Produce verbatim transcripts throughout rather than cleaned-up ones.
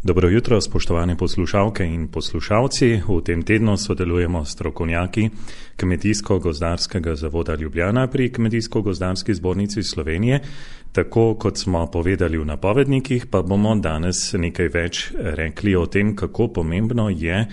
Dobro jutro, spoštovane poslušalke in poslušalci. V tem tednu sodelujemo s strokovnjaki Kmetijsko-gozdarskega zavoda Ljubljana pri Kmetijsko-gozdarski zbornici Slovenije. Tako kot smo povedali v napovednikih, pa bomo danes nekaj več rekli o tem, kako pomembno je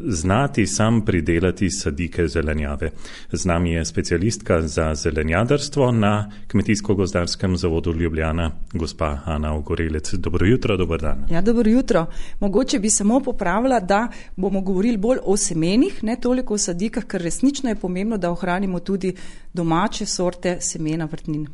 znati sam pridelati sadike zelenjave. Z nami je specialistka za zelenjadarstvo na Kmetijsko-gozdarskem zavodu Ljubljana, gospa Ana Ogorelec. Dobro jutro, dober dan. Ja, dobro jutro. Mogoče bi samo popravila, da bomo govorili bolj o semenih, ne toliko o sadikah, ker resnično je pomembno, da ohranimo tudi domače sorte semena vrtnin.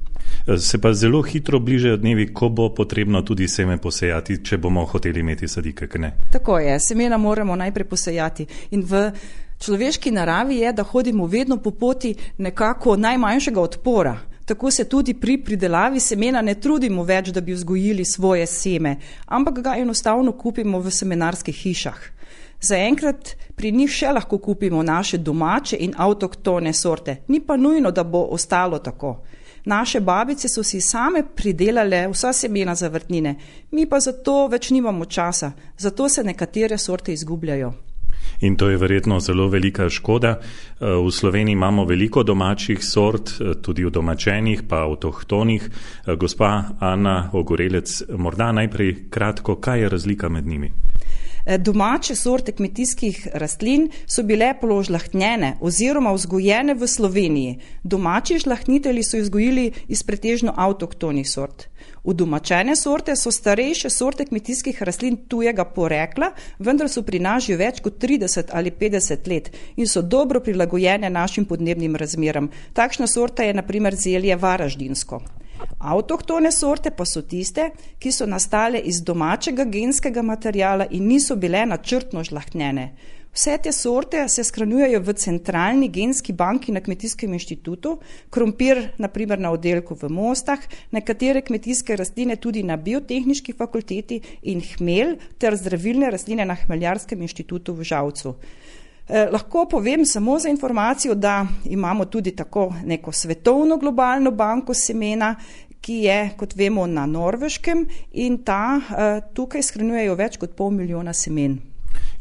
Se pa zelo hitro bližajo dnevi, ko bo potrebno tudi seme posejati, če bomo hoteli imeti sadike, ne? Tako je, semena moramo najprej posejati. In v človeški naravi je, da hodimo vedno po poti nekako najmanjšega odpora. Tako se tudi pri pridelavi semena ne trudimo več, da bi vzgojili svoje seme, ampak ga enostavno kupimo v semenarskih hišah. Zaenkrat pri njih še lahko kupimo naše domače in avtohtone sorte, ni pa nujno, da bo ostalo tako. Naše babice so si same pridelale vsa semena za vrtnine, mi pa zato več nimamo časa, zato se nekatere sorte izgubljajo. In to je verjetno zelo velika škoda. V Sloveniji imamo veliko domačih sort, tudi udomačenih, pa avtohtonih. Gospa Ana Ogorelec, morda najprej kratko, kaj je razlika med njimi? Domače sorte kmetijskih rastlin so bile položlahtnjene oziroma vzgojene v Sloveniji. Domači žlahtnitelji so vzgojili iz pretežno avtohtonih sort. Udomačene sorte so starejše sorte kmetijskih rastlin tujega porekla, vendar so pri nas že več kot trideset ali petdeset let in so dobro prilagojene našim podnebnim razmeram. Takšna sorta je na primer zelje varaždinsko. Avtohtone sorte pa so tiste, ki so nastale iz domačega genskega materiala in niso bile načrtno žlahtnjene. Vse te sorte se shranjujejo v centralni genski banki na Kmetijskem inštitutu, krompir na primer na oddelku v Mostah, nekatere kmetijske rastline tudi na Biotehniški fakulteti in hmelj ter zdravilne rastline na Hmeljarskem inštitutu v Žalcu. Eh, lahko povem samo za informacijo, da imamo tudi tako neko svetovno globalno banko semena, ki je, kot vemo, na Norveškem in ta eh, tukaj shranjujejo več kot pol milijona semen.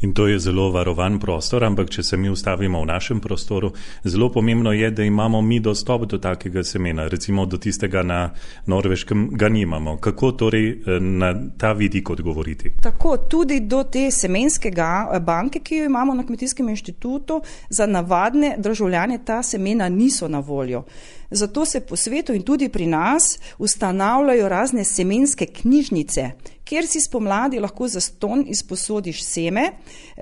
In to je zelo varovan prostor, ampak če se mi ustavimo v našem prostoru, zelo pomembno je, da imamo mi dostop do takega semena, recimo do tistega na Norveškem ga nimamo. Kako torej na ta vidik odgovoriti? Tako, tudi do te semenskega banke, ki jo imamo na Kmetijskem inštitutu, za navadne državljane ta semena niso na voljo. Zato se po svetu in tudi pri nas ustanavljajo razne semenske knjižnice, kjer si spomladi lahko zastonj izposodiš seme,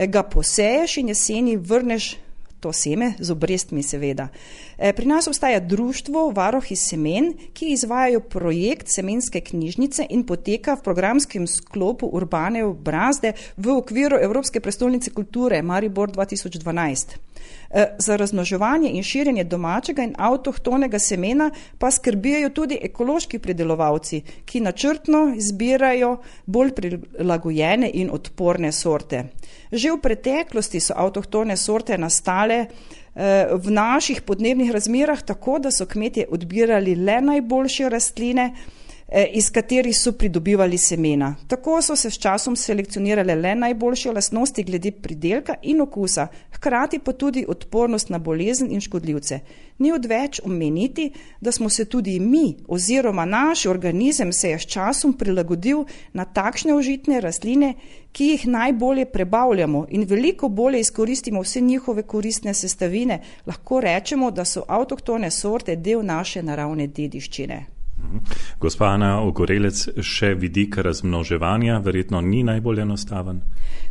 ga poseješ in jeseni vrneš to seme z obrestmi seveda. Pri nas obstaja društvo Varuhi semen, ki izvajajo projekt semenske knjižnice in poteka v programskem sklopu Urbane obrazde v okviru Evropske prestolnice kulture Maribor dva tisoč dvanajst. Za razmnoževanje in širjenje domačega in avtohtonega semena pa skrbijo tudi ekološki pridelovalci, ki načrtno izbirajo bolj prilagojene in odporne sorte. Že v preteklosti so avtohtone sorte nastale v naših podnebnih razmerah tako, da so kmetje odbirali le najboljše rastline, iz katerih so pridobivali semena. Tako so se s časom selekcionirale le najboljše lastnosti glede pridelka in okusa, hkrati pa tudi odpornost na bolezen in škodljivce. Ni odveč omeniti, da smo se tudi mi oziroma naš organizem se je s časom prilagodil na takšne užitne rastline, ki jih najbolje prebavljamo in veliko bolje izkoristimo vse njihove koristne sestavine. Lahko rečemo, da so avtohtone sorte del naše naravne dediščine. Gospa Ana Ogorelec, še vidik razmnoževanja verjetno ni najbolj enostaven?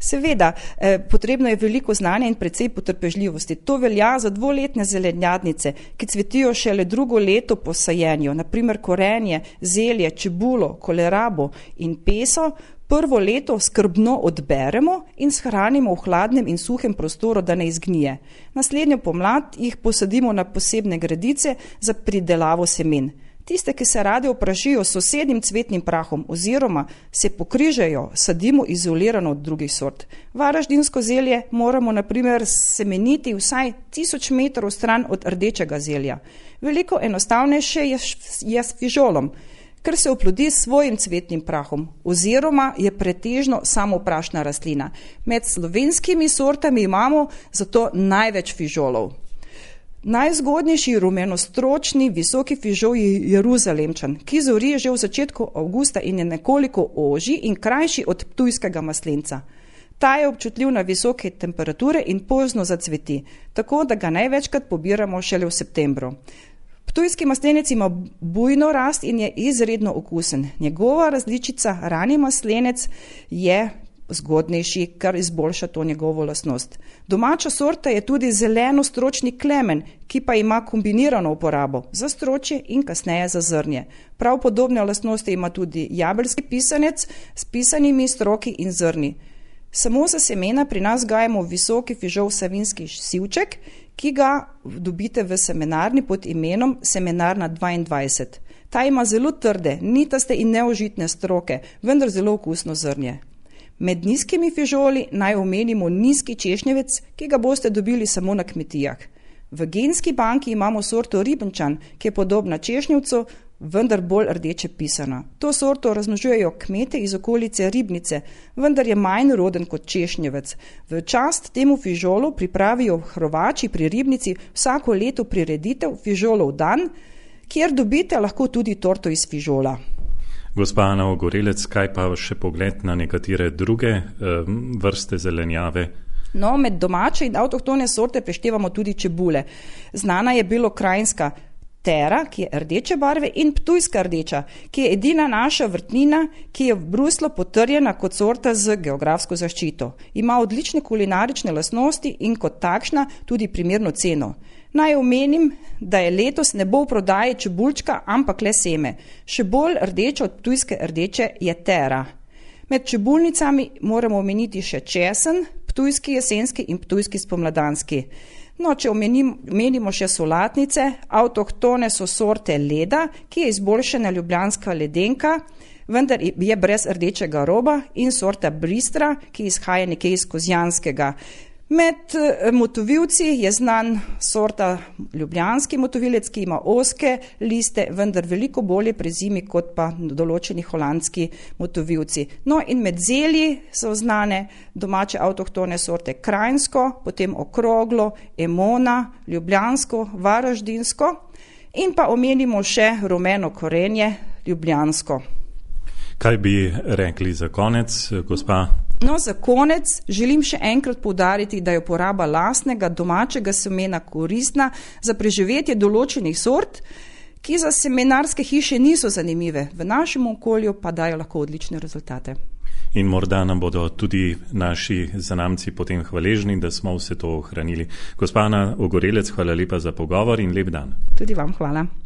Seveda, eh, potrebno je veliko znanja in precej potrpežljivosti. To velja za dvoletne zelenjadnice, ki cvetijo šele drugo leto po sajenju, naprimer korenje, zelje, čebulo, kolerabo in peso. Prvo leto skrbno odberemo in shranimo v hladnem in suhem prostoru, da ne izgnije. Naslednjo pomlad jih posadimo na posebne gredice za pridelavo semen. Tiste, ki se rade oprašijo s sosednjim cvetnim prahom oziroma se pokrižajo, sadimo izolirano od drugih sort. Varaždinsko zelje moramo na primer semeniti vsaj tisoč metrov stran od rdečega zelja. Veliko enostavnejše je, je s fižolom, ker se oplodi s svojim cvetnim prahom oziroma je pretežno samoprašna rastlina. Med slovenskimi sortami imamo zato največ fižolov. Najzgodnejši rumenostročni visoki fižol je Jeruzalemčan, ki zori že v začetku avgusta in je nekoliko ožji in krajši od ptujskega maslenca. Ta je občutljiv na visoke temperature in pozno zacveti, tako da ga največkrat pobiramo šele v septembru. Ptujski maslenec ima bujno rast in je izredno okusen. Njegova različica rani maslenec je zgodnejši, kar izboljša to njegovo lastnost. Domača sorta je tudi zeleno-stročni klemen, ki pa ima kombinirano uporabo za stročje in kasneje za zrnje. Prav podobne lastnosti ima tudi jabelski pisanec s pisanimi stroki in zrni. Samo za semena pri nas gajamo visoki fižol savinski sivček, ki ga dobite v semenarni pod imenom Semenarna dvaindvajset. Ta ima zelo trde, nitaste in neužitne stroke, vendar zelo okusno zrnje. Med nizkimi fižoli naj omenimo nizki češnjevec, ki ga boste dobili samo na kmetijah. V genski banki imamo sorto Ribenčan, ki je podobna češnjevcu, vendar bolj rdeče pisana. To sorto razmnožujejo kmete iz okolice Ribnice, vendar je manj roden kot češnjevec. V čast temu fižolu pripravijo Hrvači pri Ribnici vsako leto prireditev Fižolov dan, kjer dobite lahko tudi torto iz fižola. Gospa Ana Ogorelec, kaj pa še pogled na nekatere druge uh, vrste zelenjave? No, med domače in avtohtone sorte preštevamo tudi čebule. Znana je belokrajinska Tera, ki je rdeče barve, in ptujska rdeča, ki je edina naša vrtnina, ki je v Bruslu potrjena kot sorta z geografsko zaščito. Ima odlične kulinarične lastnosti in kot takšna tudi primerno ceno. Naj omenim, da je letos ne bo v prodaji čebulčka, ampak le seme. Še bolj rdeča od ptujske rdeče je Tera. Med čebulnicami moramo omeniti še česen, ptujski jesenski in ptujski spomladanski. No, če omenim, omenimo še solatnice, avtohtone so sorte Leda, ki je izboljšana ljubljanska ledenka, vendar je brez rdečega roba, in sorta Bristra, ki izhaja nekje iz Kozjanskega. Med motovilci je znan sorta ljubljanski motovilec, ki ima ozke liste, vendar veliko bolje prezimi kot pa določeni holandski motovilci. No, in med zelji so znane domače avtohtone sorte Krajinsko, potem Okroglo, Emona, Ljubljansko, Varaždinsko in pa omenimo še rumeno korenje Ljubljansko. Kaj bi rekli za konec, gospa? No, za konec želim še enkrat poudariti, da je uporaba lastnega domačega semena koristna za preživetje določenih sort, ki za semenarske hiše niso zanimive, v našem okolju pa dajo lahko odlične rezultate. In morda nam bodo tudi naši zanamci potem hvaležni, da smo vse to ohranili. Gospa Ana Ogorelec, hvala lepa za pogovor in lep dan. Tudi vam hvala.